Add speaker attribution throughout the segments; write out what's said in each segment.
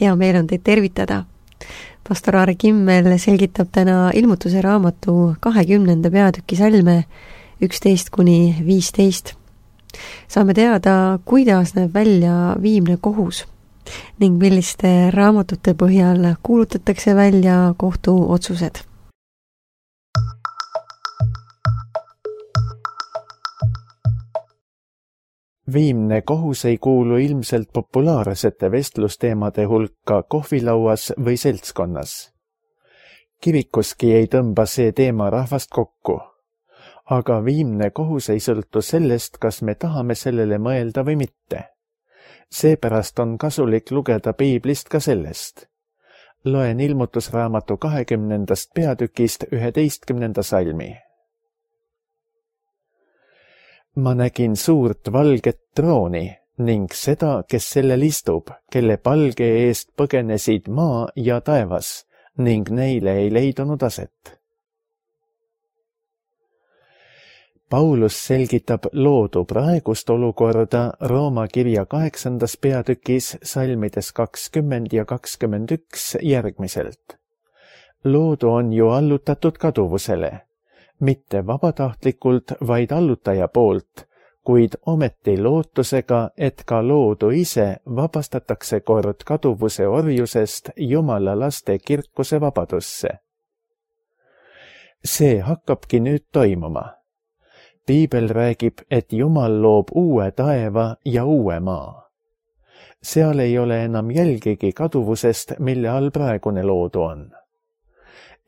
Speaker 1: hea meel on teid tervitada. Pastor Aare Kimmel selgitab täna Ilmutuse raamatu 20. peatüki salme 11-15. Saame teada, kuidas näeb välja viimne kohus ning milliste raamatute põhjal kuulutatakse välja kohtuotsused.
Speaker 2: Viimne kohus ei kuulu ilmselt populaarsete vestlusteemade hulka kohvilauas või seltskonnas. Kirikuski ei tõmba see teema rahvast kokku. Aga viimne kohus ei sõltu sellest, kas me tahame sellele mõelda või mitte. Seepärast on kasulik lugeda Piiblist ka sellest. Loen Ilmutusraamatu 20. peatükist 11. salmi. Ma nägin suurt valget trooni ning seda, kes sellel istub, kelle palge eest põgenesid maa ja taevas ning neile ei leidunud aset. Paulus selgitab loodu praegust olukorda Rooma kirja 8. peatükis salmides 20 ja 21 järgmiselt. Loodu on ju allutatud kaduvusele. Mitte vabatahtlikult, vaid allutaja poolt, kuid ometi lootusega, et ka loodu ise vabastatakse kord kaduvuse orjusest Jumala laste kirkuse vabadusse. See hakkabki nüüd toimuma. Piibel räägib, et Jumal loob uue taeva ja uue maa. Seal ei ole enam jälgigi kaduvusest, mille all praegune loodu on.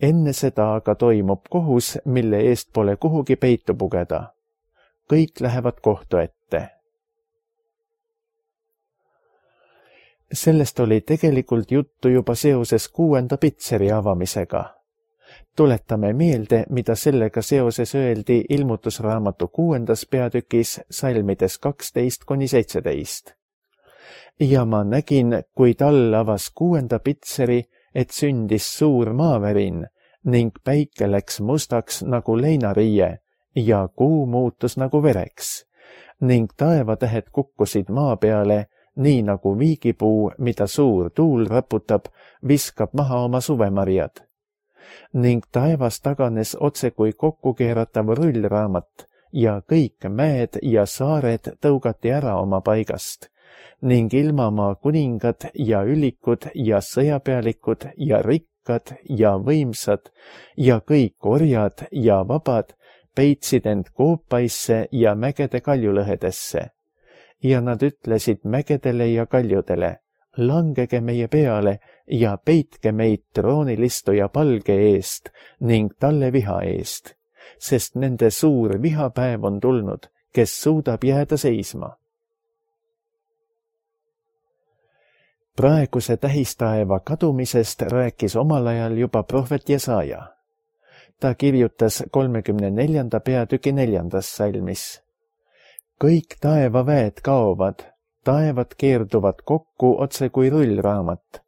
Speaker 2: Enne seda aga toimub kohus, mille eest pole kuhugi peitu pugeda. Kõik lähevad kohtu ette. Sellest oli tegelikult juttu juba seoses 6. pitseri avamisega. Tuletame meelde, mida sellega seoses öeldi Ilmutusraamatu 6. peatükis salmides 12-17. Ja ma nägin, kui tal avas 6. pitseri, et sündis suur maavärin ning päike läks mustaks nagu leinariie ja kuu muutus nagu vereks ning taevatähed kukkusid maa peale, nii nagu viigipuu, mida suur tuul raputab, viskab maha oma suvemarjad. Ning taevas taganes otse kui kokkukeeratav rullraamat ja kõik mäed ja saared tõugati ära oma paigast. Ning ilmamaa kuningad ja ülikud ja sõjapealikud ja rikkad ja võimsad ja kõik orjad ja vabad peitsid end koopaisse ja mägede kaljulõhedesse. Ja nad ütlesid mägedele ja kaljudele, langege meie peale ja peitke meid troonilistuja palge eest ning talle viha eest, sest nende suur vihapäev on tulnud, kes suudab jääda seisma. Praeguse tähistaeva kadumisest rääkis omal ajal juba prohvet Jesaja. Ta kirjutas 34. peatüki 4. salmis. Kõik taevaväed kaovad, taevad keerduvad kokku otse kui rullraamat.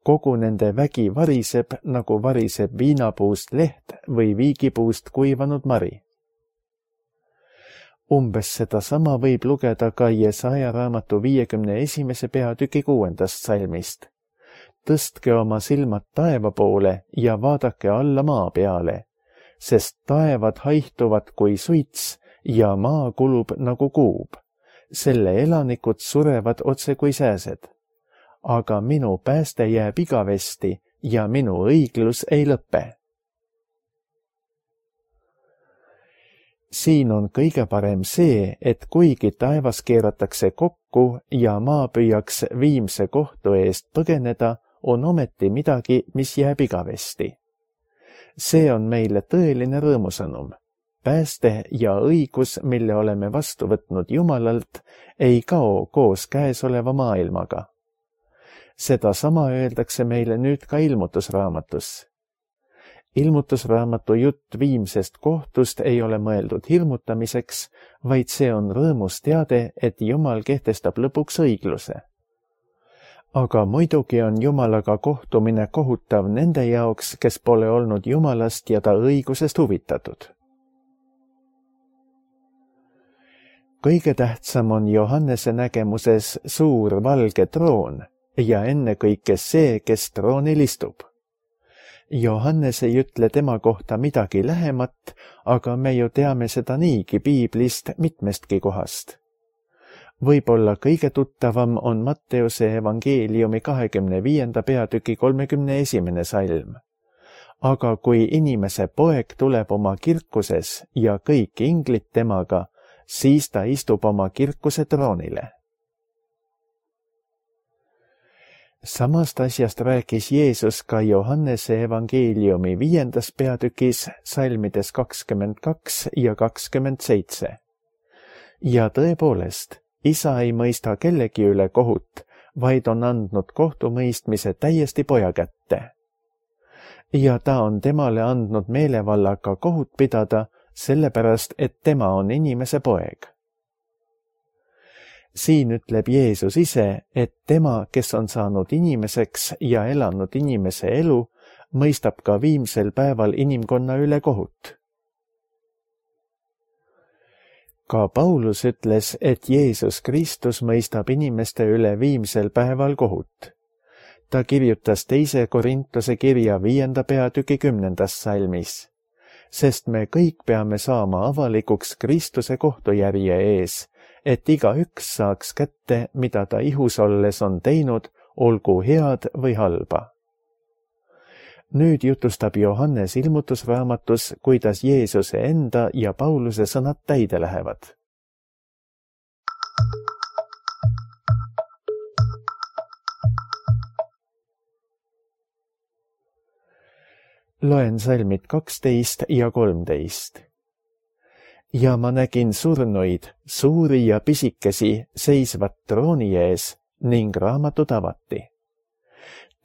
Speaker 2: Kogu nende vägi variseb, nagu variseb viinapuust leht või viigipuust kuivanud mari. Umbes sedasama võib lugeda ka Jesaja raamatu 51. peatüki 6. salmist. Tõstke oma silmad taeva poole ja vaadake alla maa peale, sest taevad haihtuvad kui suits ja maa kulub nagu kuub. Selle elanikud surevad otse kui sääsed. Aga minu pääste jääb igavesti ja minu õiglus ei lõpe. Siin on kõige parem see, et kuigi taevas keeratakse kokku ja maa püüaks viimse kohtu eest põgeneda, on ometi midagi, mis jääb igavesti. See on meile tõeline rõõmusõnum. Pääste ja õigus, mille oleme vastu võtnud Jumalalt, ei kao koos käesoleva maailmaga. Sedasama öeldakse meile nüüd ka Ilmutusraamatus. Ilmutusraamatu jutt viimsest kohtust ei ole mõeldud hirmutamiseks, vaid see on rõõmus teade, et Jumal kehtestab lõpuks õigluse. Aga muidugi on Jumalaga kohtumine kohutav nende jaoks, kes pole olnud Jumalast ja ta õigusest huvitatud. Kõige tähtsam on Johannese nägemuses suur valge troon, ja ennekõike see, kes troonil istub. Johannes ei ütle tema kohta midagi lähemat, aga me ju teame seda niigi piiblist mitmestki kohast. Võib-olla kõige tuttavam on Matteuse evangeeliumi 25. peatüki 31. salm. Aga kui inimese poeg tuleb oma kirkuses ja kõik inglid temaga, siis ta istub oma kirkuse troonile. Samast asjast rääkis Jeesus ka Johannese evangeeliumi 5. peatükis salmides 22 ja 27. Ja tõepoolest, isa ei mõista kellegi üle kohut, vaid on andnud kohtumõistmise täiesti poja kätte. Ja ta on temale andnud meelevallaga kohut pidada, sellepärast, et tema on inimese poeg. Siin ütleb Jeesus ise, et tema, kes on saanud inimeseks ja elanud inimese elu, mõistab ka viimsel päeval inimkonna üle kohut. Ka Paulus ütles, et Jeesus Kristus mõistab inimeste üle viimsel päeval kohut. Ta kirjutas 2. Korintuse kirja 5. peatüki 10. salmis, sest me kõik peame saama avalikuks Kristuse kohtujärje ees, et igaüks saaks kätte, mida ta ihus olles on teinud, olgu head või halba. Nüüd jutustab Johannes ilmutusraamatus, kuidas Jeesuse enda ja Pauluse sõnad täide lähevad. Loen salmid 12 ja 13. Ja ma nägin surnuid, suuri ja pisikesi, seisvat trooni ees ning raamatud avati.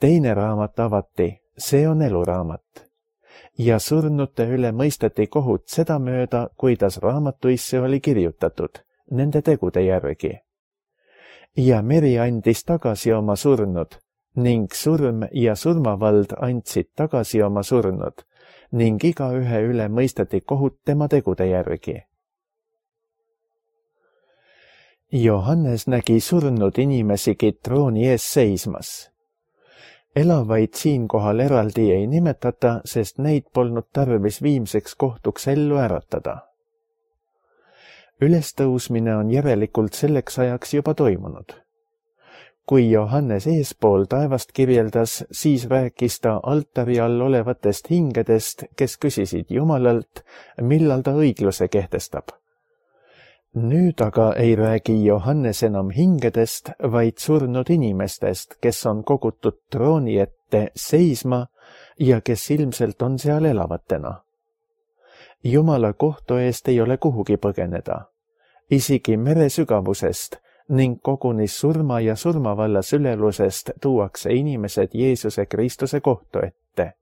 Speaker 2: Teine raamat avati, see on eluraamat. Ja surnute üle mõisteti kohut sedamööda, kuidas raamatuisse oli kirjutatud, nende tegude järgi. Ja meri andis tagasi oma surnud, ning surm ja surmavald andsid tagasi oma surnud, ning igaühe üle mõisteti kohut tema tegude järgi. Johannes nägi surnud inimesigi trooni ees seismas. Elavaid siinkohal eraldi ei nimetata, sest neid polnud tarvis viimseks kohtuks ellu äratada. Ülestõusmine on järelikult selleks ajaks juba toimunud. Kui Johannes eespool taevast kirjeldas, siis rääkis ta altari all olevatest hingedest, kes küsisid Jumalalt, millal ta õigluse kehtestab. Nüüd aga ei räägi Johannes enam hingedest, vaid surnud inimestest, kes on kogutud trooni ette seisma ja kes ilmselt on seal elavatena. Jumala kohtu eest ei ole kuhugi põgeneda, isegi mere sügavusest, ning koguni surma ja surmavalla sülelusest tuuakse inimesed Jeesuse Kristuse kohtu ette.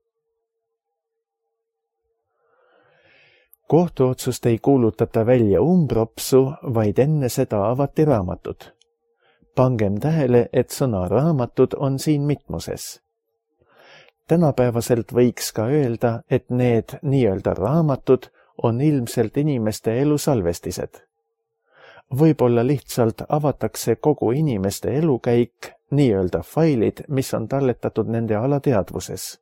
Speaker 2: Kohtuotsust ei kuulutata välja umbropsu, vaid enne seda avati raamatud. Pangem tähele, et sõna raamatud on siin mitmuses. Tänapäevaselt võiks ka öelda, et need nii-öelda raamatud on ilmselt inimeste elu salvestised. Võib-olla lihtsalt avatakse kogu inimeste elukäik, nii-öelda failid, mis on talletatud nende alateadvuses.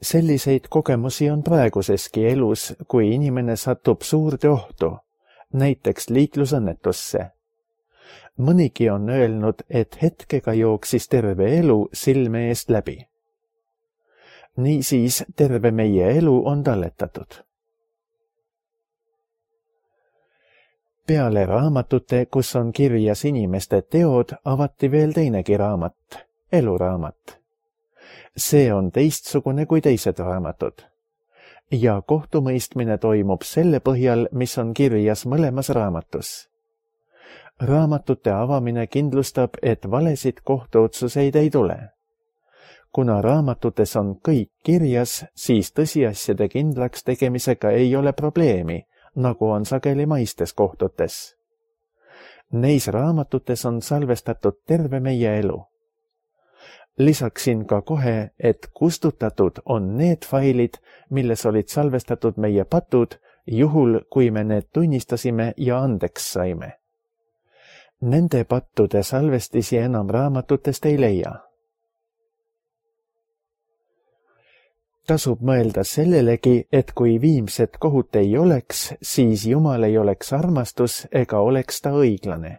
Speaker 2: Selliseid kogemusi on praeguseski elus, kui inimene satub suurde ohtu, näiteks liiklusõnnetusse. Mõnigi on öelnud, et hetkega jooksis terve elu silme eest läbi. Niisiis terve meie elu on talletatud. Peale raamatute, kus on kirjas inimeste teod, avati veel teinegi raamat, eluraamat. See on teistsugune kui teised raamatud. Ja kohtumõistmine toimub selle põhjal, mis on kirjas mõlemas raamatus. Raamatute avamine kindlustab, et valesid kohtuotsuseid ei tule. Kuna raamatutes on kõik kirjas, siis tõsiasjade kindlaks tegemisega ei ole probleemi, nagu on sageli maistes kohtutes. Neis raamatutes on salvestatud terve meie elu. Lisaksin ka kohe, et kustutatud on need failid, milles olid salvestatud meie patud, juhul kui me need tunnistasime ja andeks saime. Nende pattude salvestisi enam raamatutest ei leia. Tasub mõelda sellelegi, et kui viimset kohut ei oleks, siis Jumal ei oleks armastus ega oleks ta õiglane.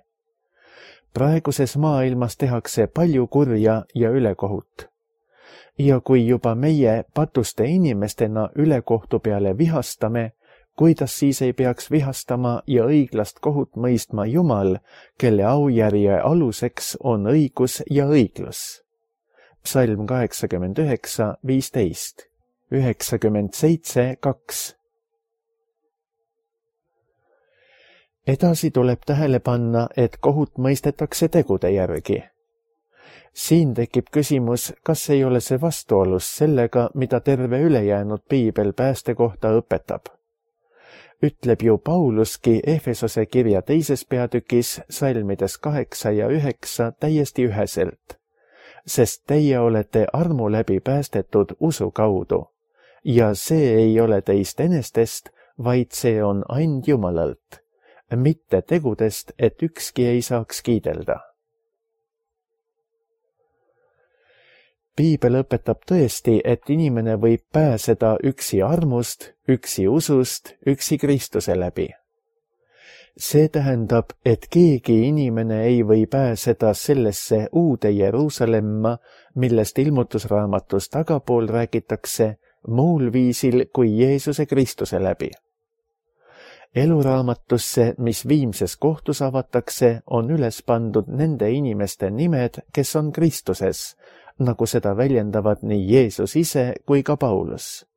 Speaker 2: Praeguses maailmas tehakse palju kurja ja ülekohut. Ja kui juba meie patuste inimestena ülekohtu peale vihastame, kuidas siis ei peaks vihastama ja õiglast kohut mõistma Jumal, kelle aujärje aluseks on õigus ja õiglus. Psalm 89:15, 97:2. Edasi tuleb tähele panna, et kohut mõistetakse tegude järgi. Siin tekib küsimus, kas ei ole see vastuolus sellega, mida terve ülejäänud piibel pääste kohta õpetab. Ütleb ju Pauluski Efesose kirja 2. peatükis salmides 8 ja 9 täiesti üheselt, sest teie olete armu läbi päästetud usu kaudu ja see ei ole teist enestest, vaid see on and Jumalalt, mitte tegudest, et ükski ei saaks kiidelda. Piibel õpetab tõesti, et inimene võib pääseda üksi armust, üksi usust, üksi Kristuse läbi. See tähendab, et keegi inimene ei või pääseda sellesse uude Jeruusalemma, millest ilmutusraamatus tagapool räägitakse, muul viisil kui Jeesuse Kristuse läbi. Eluraamatusse, mis viimses kohtus avatakse, on üles pandud nende inimeste nimed, kes on Kristuses, nagu seda väljendavad nii Jeesus ise kui ka Paulus.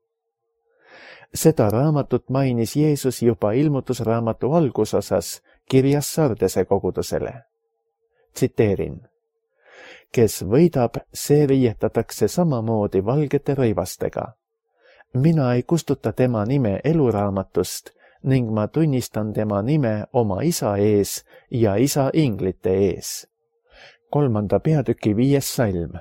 Speaker 2: Seda raamatut mainis Jeesus juba ilmutusraamatu algusosas kirjas Sardese kogudusele. Tsiteerin. Kes võidab, see riietatakse samamoodi valgete rõivastega. Mina ei kustuta tema nime eluraamatust ning ma tunnistan tema nime oma isa ees ja isa inglite ees. 3. peatüki 5. salm.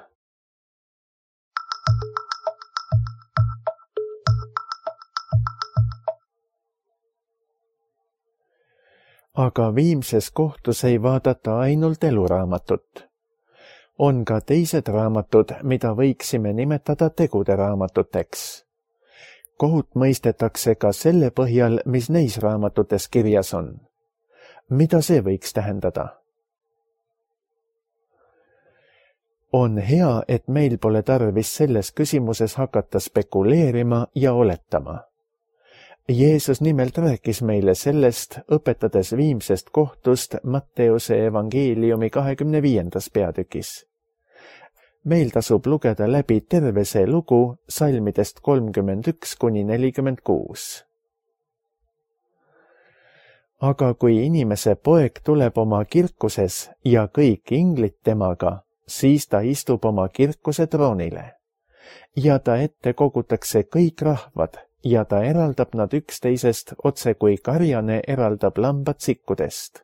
Speaker 2: Aga viimses kohtus ei vaadata ainult eluraamatut. On ka teised raamatud, mida võiksime nimetada tegude raamatuteks. Kohut mõistetakse ka selle põhjal, mis neis raamatutes kirjas on. Mida see võiks tähendada? On hea, et meil pole tarvis selles küsimuses hakata spekuleerima ja oletama. Jeesus nimelt rääkis meile sellest, õpetades viimsest kohtust Matteuse evangeeliumi 25. peatükis. Meil tasub lugeda läbi terve see lugu salmidest 31–46. Aga kui inimese poeg tuleb oma kirkuses ja kõik inglid temaga, siis ta istub oma kirkuse troonile. Ja ta ette kogutakse kõik rahvad ja ta eraldab nad üksteisest otse kui karjane eraldab lambad sikkudest.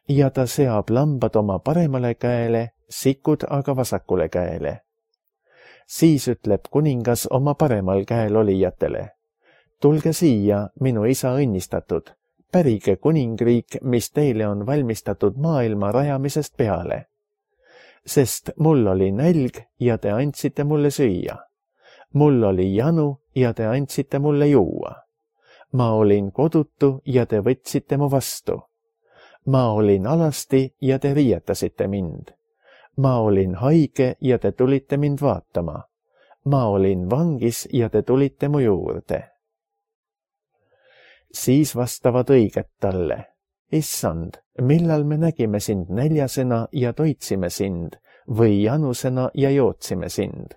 Speaker 2: Ja ta seab lambad oma paremale käele, sikud aga vasakule käele. Siis ütleb kuningas oma paremal käel olijatele. Tulge siia, minu isa õnnistatud, pärige kuningriik, mis teile on valmistatud maailma rajamisest peale. Sest mul oli nälg ja te andsite mulle süüa. Mul oli janu ja te andsite mulle juua. Ma olin kodutu ja te võtsite mu vastu. Ma olin alasti ja te riietasite mind. Ma olin haige ja te tulite mind vaatama. Ma olin vangis ja te tulite mu juurde. Siis vastavad õiged talle. Issand, millal me nägime sind näljasena ja toitsime sind või janusena ja jootsime sind?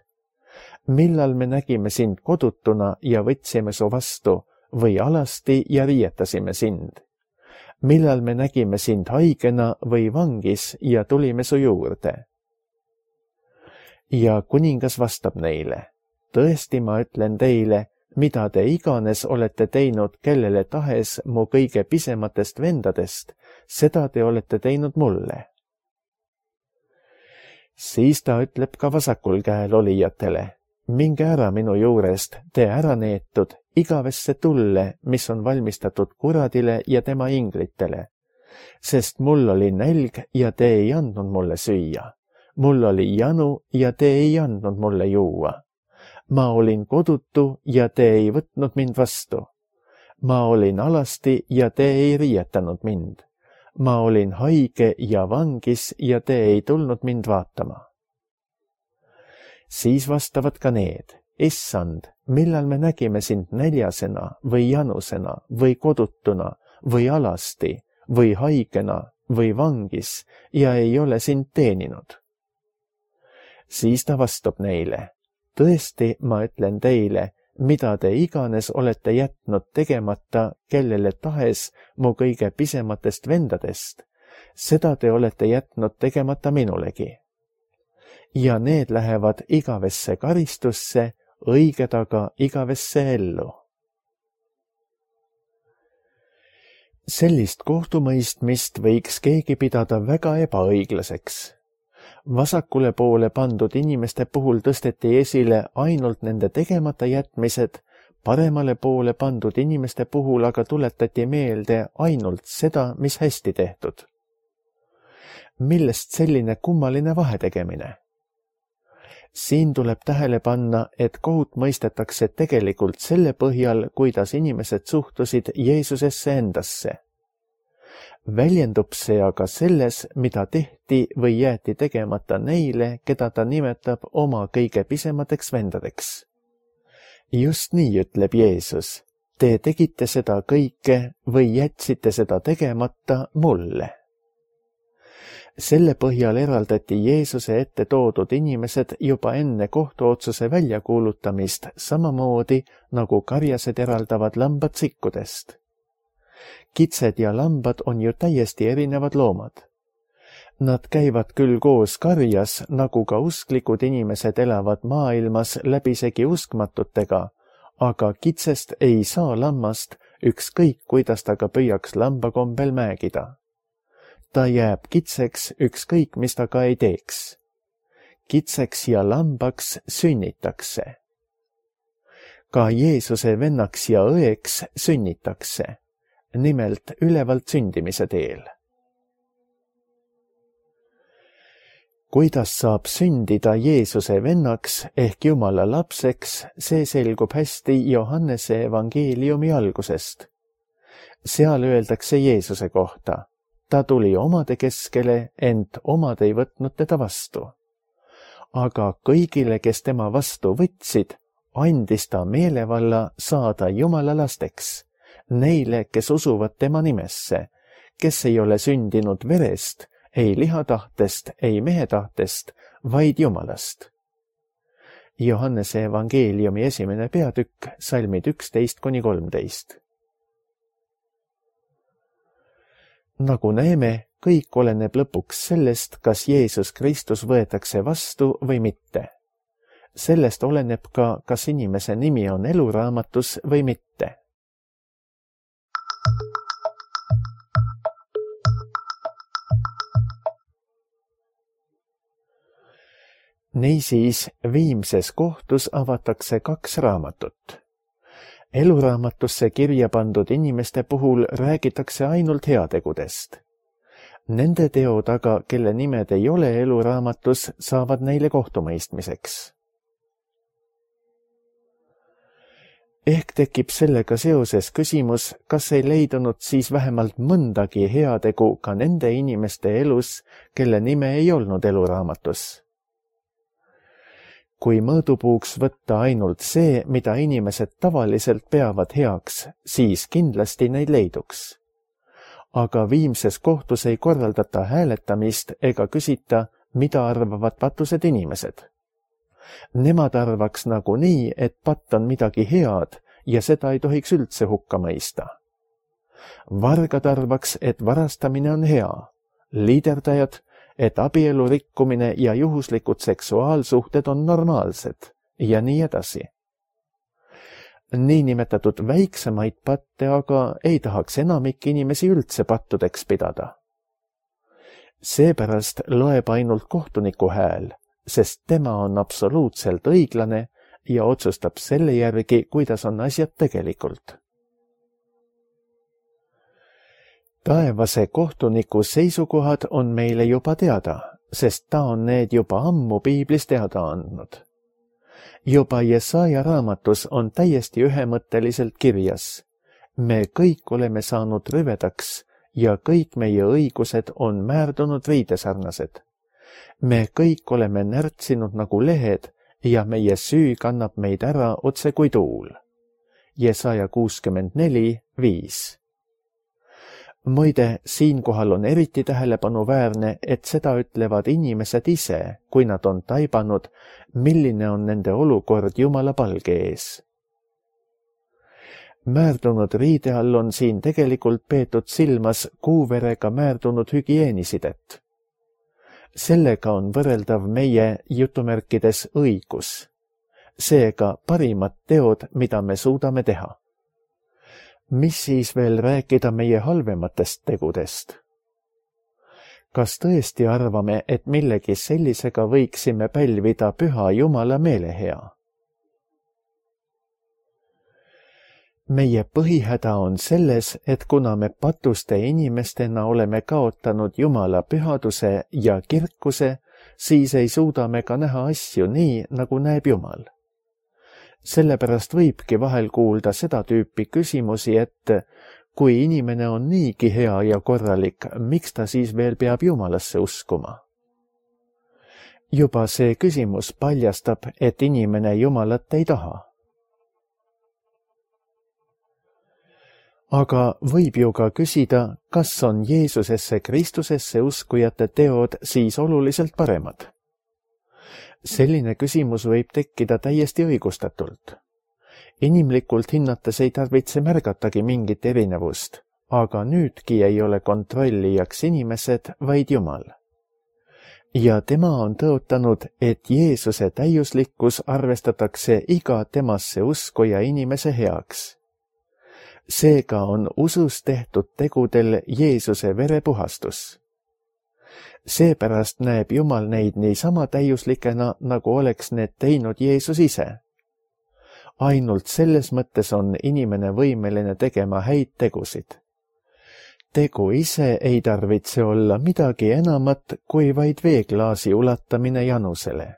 Speaker 2: Millal me nägime sind kodutuna ja võtsime su vastu või alasti ja riietasime sind? Millal me nägime sind haigena või vangis ja tulime su juurde? Ja kuningas vastab neile, tõesti ma ütlen teile, mida te iganes olete teinud kellele tahes mu kõige pisematest vendadest, seda te olete teinud mulle. Siis ta ütleb ka vasakul käel olijatele, minge ära minu juurest, te ära neetud, igavesse tulle, mis on valmistatud kuradile ja tema inglitele. sest mul oli nälg ja te ei andnud mulle süüa. Mul oli janu ja te ei andnud mulle juua. Ma olin kodutu ja te ei võtnud mind vastu. Ma olin alasti ja te ei riietanud mind. Ma olin haige ja vangis ja te ei tulnud mind vaatama. Siis vastavad ka need: Issand, millal me nägime sind näljasena või janusena või kodutuna või alasti või haigena või vangis ja ei ole sind teeninud? Siis ta vastab neile: tõesti, ma ütlen teile, mida te iganes olete jätnud tegemata kellele tahes mu kõige pisematest vendadest, seda te olete jätnud tegemata minulegi. Ja need lähevad igavesse karistusse, õiged aga igavesse ellu. Sellist kohtumõistmist võiks keegi pidada väga ebaõiglaseks. Vasakule poole pandud inimeste puhul tõsteti esile ainult nende tegemata jätmised, paremale poole pandud inimeste puhul aga tuletati meelde ainult seda, mis hästi tehtud. Millest selline kummaline vahetegemine? Siin tuleb tähele panna, et kohut mõistetakse tegelikult selle põhjal, kuidas inimesed suhtusid Jeesusesse endasse. Väljendub see aga selles, mida tehti või jäeti tegemata neile, keda ta nimetab oma kõige pisemateks vendadeks. Just nii ütleb Jeesus: te tegite seda kõike või jätsite seda tegemata mulle. Selle põhjal eraldati Jeesuse ette toodud inimesed juba enne kohtuotsuse väljakuulutamist samamoodi, nagu karjased eraldavad lambad sikkudest. Kitsed ja lambad on ju täiesti erinevad loomad. Nad käivad küll koos karjas, nagu ka usklikud inimesed elavad maailmas läbisegi uskmatutega, aga kitsest ei saa lammast, ükskõik kuidas ta ka püüaks lambakombel mäegida. Ta jääb kitseks, ükskõik mis ta ka ei teeks. Kitseks ja lambaks sünnitakse. Ka Jeesuse vennaks ja õeks sünnitakse, nimelt ülevalt sündimise teel. Kuidas saab sündida Jeesuse vennaks ehk Jumala lapseks, see selgub hästi Johannese evangeeliumi algusest. Seal öeldakse Jeesuse kohta: ta tuli omade keskele, ent omad ei võtnud teda vastu. Aga kõigile, kes tema vastu võtsid, andis ta meelevalla saada Jumala lasteks, neile, kes usuvad tema nimesse, kes ei ole sündinud verest, ei lihatahtest, ei mehe tahtest, vaid Jumalast. Johannese evangeeliumi 1. peatükk, salmid 11-13. Nagu näeme, kõik oleneb lõpuks sellest, kas Jeesus Kristus võetakse vastu või mitte. Sellest oleneb ka, kas inimese nimi on eluraamatus või mitte. Niisiis, viimses kohtus avatakse 2 raamatut. Eluraamatusse kirja pandud inimeste puhul räägitakse ainult heategudest. Nende teod aga, kelle nimed ei ole eluraamatus, saavad neile kohtumõistmiseks. Ehk tekib sellega seoses küsimus, kas ei leidunud siis vähemalt mõndagi heategu ka nende inimeste elus, kelle nime ei olnud eluraamatus. Kui mõõdupuuks võtta ainult see, mida inimesed tavaliselt peavad heaks, siis kindlasti neid leiduks. Aga viimses kohtus ei korraldata hääletamist ega küsita, mida arvavad patused inimesed. Nemad arvaks nagunii, et patt on midagi head ja seda ei tohiks üldse hukka mõista. Vargad arvaks, et varastamine on hea, liiderdajad, et abielu rikkumine ja juhuslikud seksuaalsuhted on normaalsed ja nii edasi. Niinimetatud väiksemaid patte aga ei tahaks enamik inimesi üldse pattudeks pidada. Seepärast loeb ainult kohtuniku hääl, sest tema on absoluutselt õiglane ja otsustab selle järgi, kuidas on asjad tegelikult. Taevase kohtuniku seisukohad on meile juba teada, sest ta on need juba ammu piiblis teada andnud. Juba Jesaja raamatus on täiesti ühemõtteliselt kirjas: me kõik oleme saanud rüvedaks ja kõik meie õigused on määrdunud riidesarnased. Me kõik oleme närtsinud nagu lehed ja meie süü kannab meid ära otse kui tuul. Jesaja 64:5. Muide, siinkohal on eriti tähelepanuväärne, et seda ütlevad inimesed ise, kui nad on taibanud, milline on nende olukord Jumala palge ees. Määrdunud riide all on siin tegelikult peetud silmas kuuverega määrdunud hügieenisidet. Sellega on võrreldav meie jutumärkides õigus, seega parimad teod, mida me suudame teha. Mis siis veel rääkida meie halvematest tegudest? Kas tõesti arvame, et millegi sellisega võiksime pälvida püha Jumala meelehea? Meie põhihäda on selles, et kuna me patuste inimestena oleme kaotanud Jumala pühaduse ja kirkuse, siis ei suuda me ka näha asju nii, nagu näeb Jumal. Sellepärast võibki vahel kuulda seda tüüpi küsimusi, et kui inimene on niigi hea ja korralik, miks ta siis veel peab Jumalasse uskuma? Juba see küsimus paljastab, et inimene Jumalat ei taha. Aga võib ju ka küsida, kas on Jeesusesse Kristusesse uskujate teod siis oluliselt paremad? Selline küsimus võib tekkida täiesti õigustatult. Inimlikult hinnates ei tarvitse märgatagi mingit erinevust, aga nüüdki ei ole kontrollijaks inimesed, vaid Jumal. Ja tema on tõotanud, et Jeesuse täiuslikkus arvestatakse iga temasse uskuja inimese heaks. Seega on usus tehtud tegudel Jeesuse verepuhastus. Seepärast näeb Jumal neid niisama täiuslikena, nagu oleks need teinud Jeesus ise. Ainult selles mõttes on inimene võimeline tegema häid tegusid. Tegu ise ei tarvitse olla midagi enamat kui vaid veeklaasi ulatamine janusele.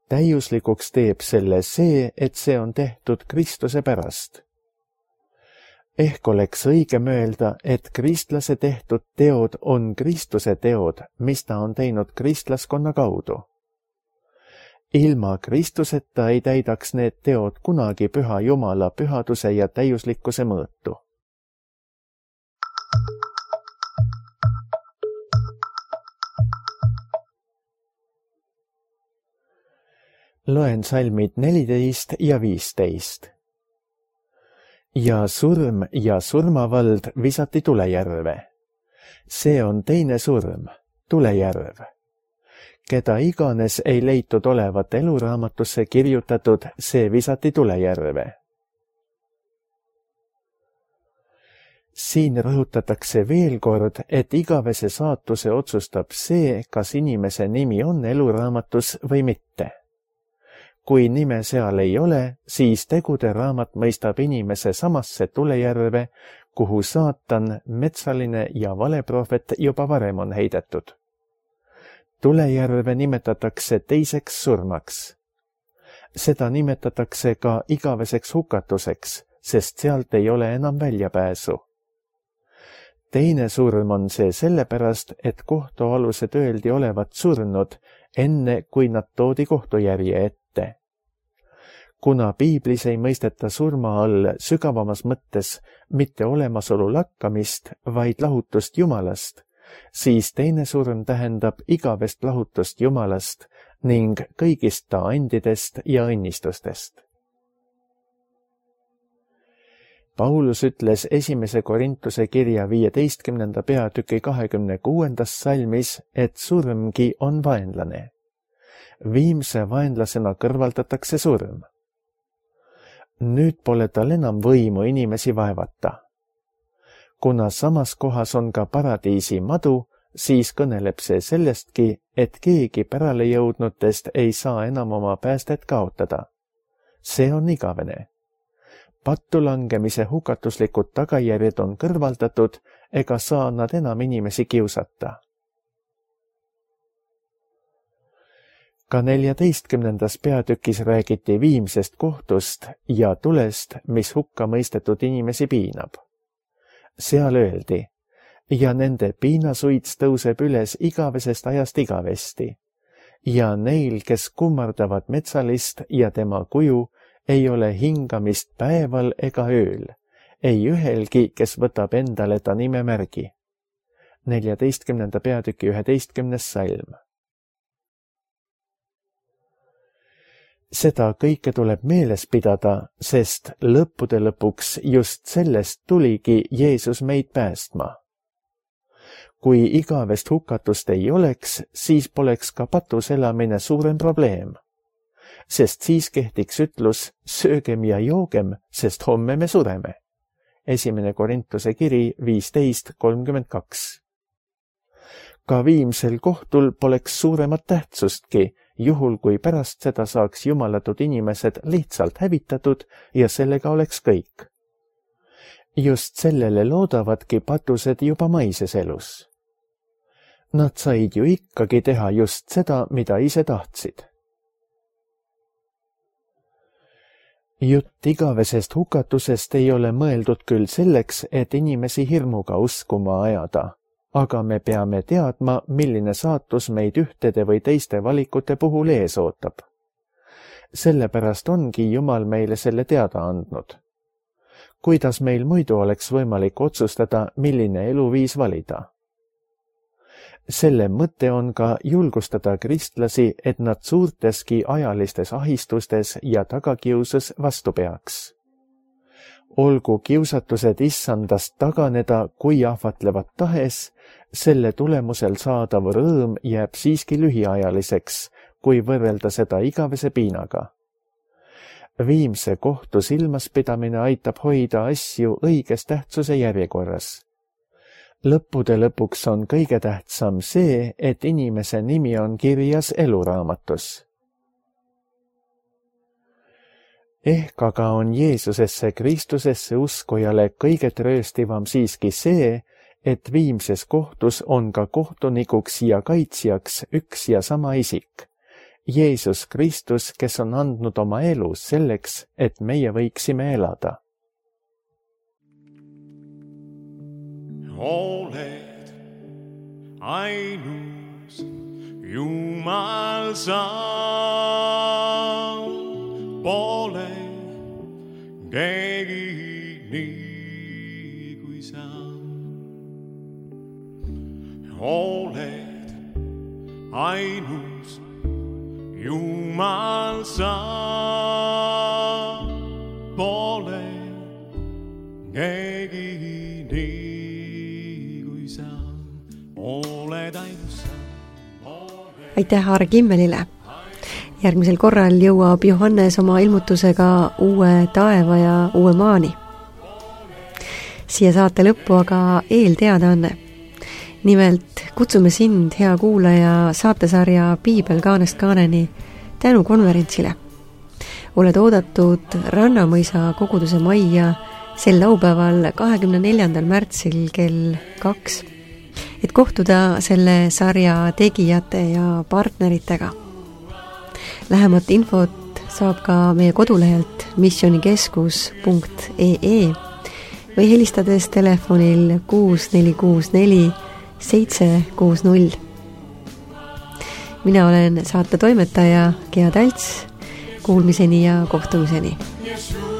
Speaker 2: Täiuslikuks teeb selle see, et see on tehtud Kristuse pärast. Ehk oleks õige mõelda, et kristlase tehtud teod on Kristuse teod, mis ta on teinud kristlaskonna kaudu. Ilma Kristuseta ei täidaks need teod kunagi püha Jumala pühaduse ja täiuslikkuse mõõtu. Loen salmid 14 ja 15. Ja surm ja surmavald visati tulejärve. See on teine surm, tulejärv. Keda iganes ei leitud olevat eluraamatusse kirjutatud, see visati tulejärve. Siin rõhutatakse veel kord, et igavese saatuse otsustab see, kas inimese nimi on eluraamatus või mitte. Kui nime seal ei ole, siis tegude raamat mõistab inimese samasse tulejärve, kuhu saatan, metsaline ja valeprohvet juba varem on heidetud. Tulejärve nimetatakse teiseks surmaks. Seda nimetatakse ka igaveseks hukatuseks, sest sealt ei ole enam väljapääsu. Teine surm on see sellepärast, et kohtualused öeldi olevat surnud, enne kui nad toodi kohtujärje ette. Kuna piiblis ei mõisteta surma all sügavamas mõttes mitte olemasolu lakkamist, vaid lahutust Jumalast, siis teine surm tähendab igavest lahutust Jumalast ning kõigist ta andidest ja õnnistustest. Paulus ütles 1. Korintuse kirja 15. peatüki 26. salmis, et surmgi on vaenlane. Viimse vaenlasena kõrvaldatakse surm. Nüüd pole tal enam võimu inimesi vaevata. Kuna samas kohas on ka paradiisi madu, siis kõneleb see sellestki, et keegi pärale jõudnutest ei saa enam oma päästet kaotada. See on igavene. pattu langemise hukatuslikud tagajärjed on kõrvaldatud ega saa nad enam inimesi kiusata. Ka 14. peatükis räägiti viimsest kohtust ja tulest, mis hukka mõistetud inimesi piinab. Seal öeldi, ja nende piinasuits tõuseb üles igavesest ajast igavesti, ja neil, kes kummardavad metsalist ja tema kuju, ei ole hingamist päeval ega ööl, ei ühelgi, kes võtab endale ta nimemärgi. 14. peatüki 11. salm. Seda kõike tuleb meeles pidada, sest lõppude lõpuks just sellest tuligi Jeesus meid päästma. Kui igavest hukatust ei oleks, siis poleks ka patus elamine suurem probleem. Sest siis kehtiks ütlus, söögem ja joogem, sest homme me sureme. 1. Korintuse kiri 15:32. Ka viimsel kohtul poleks suuremat tähtsustki, juhul kui pärast seda saaks jumalatud inimesed lihtsalt hävitatud ja sellega oleks kõik. Just sellele loodavadki patused juba maises elus. Nad said ju ikkagi teha just seda, mida ise tahtsid. Jutt igavesest hukatusest ei ole mõeldud küll selleks, et inimesi hirmuga uskuma ajada, aga me peame teadma, milline saatus meid ühtede või teiste valikute puhul ees ootab. Sellepärast ongi Jumal meile selle teada andnud. Kuidas meil muidu oleks võimalik otsustada, milline eluviis valida? Selle mõte on ka julgustada kristlasi, et nad suurteski ajalistes ahistustes ja tagakiusus vastu peaks. Olgu kiusatused issandast taganeda, kui ahvatlevad tahes, selle tulemusel saadav rõõm jääb siiski lühiajaliseks, kui võrrelda seda igavese piinaga. Viimse kohtu silmaspidamine aitab hoida asju õiges tähtsuse järjekorras. Lõppude lõpuks on kõige tähtsam see, et inimese nimi on kirjas eluraamatus. Ehk aga on Jeesusesse Kristusesse uskujale kõige trööstivam siiski see, et viimses kohtus on ka kohtunikuks ja kaitsjaks üks ja sama isik, Jeesus Kristus, kes on andnud oma elu selleks, et meie võiksime elada.
Speaker 3: Oled ainus Jumal sa, pole keegi nii kui sa. Oled ainus Jumal sa, pole keegi nii kui sa. Oled ainus sa.
Speaker 1: Aitäh Aare Kimmelile! Järgmisel korral jõuab Johannes oma ilmutusega uue taeva ja uue maani. Siia saate lõppu aga eelteadaanne. Nimelt kutsume sind, hea kuulaja, saatesarja Piibel kaanest kaaneni tänukonverentsile. Oled oodatud Rannamõisa koguduse majja sel laupäeval 24. märtsil kell 2, et kohtuda selle sarja tegijate ja partneritega. Lähemat infot saab ka meie kodulehelt missionikeskus.ee või helistades telefonil 6464 760. Mina olen saate toimetaja Gea Talts. Kuulmiseni ja kohtumiseni. Yeshua.